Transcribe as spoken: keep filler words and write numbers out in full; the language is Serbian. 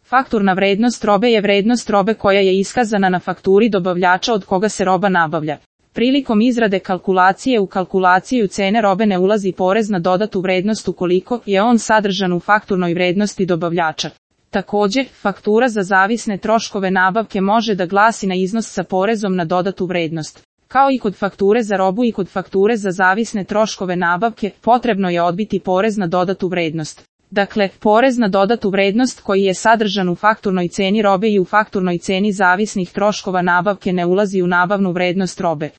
Fakturna vrednost robe je vrednost robe koja je iskazana na fakturi dobavljača od koga se roba nabavlja. Prilikom izrade kalkulacije u kalkulaciju cene robe ne ulazi porez na dodatu vrednost ukoliko je on sadržan u fakturnoj vrednosti dobavljača. Također, faktura za zavisne troškove nabavke može da glasi na iznos sa porezom na dodatu vrednost. Kao i kod fakture za robu i kod fakture za zavisne troškove nabavke, potrebno je odbiti porez na dodatu vrednost. Dakle, porez na dodatu vrednost koji je sadržan u fakturnoj ceni robe i u fakturnoj ceni zavisnih troškova nabavke ne ulazi u nabavnu vrednost robe.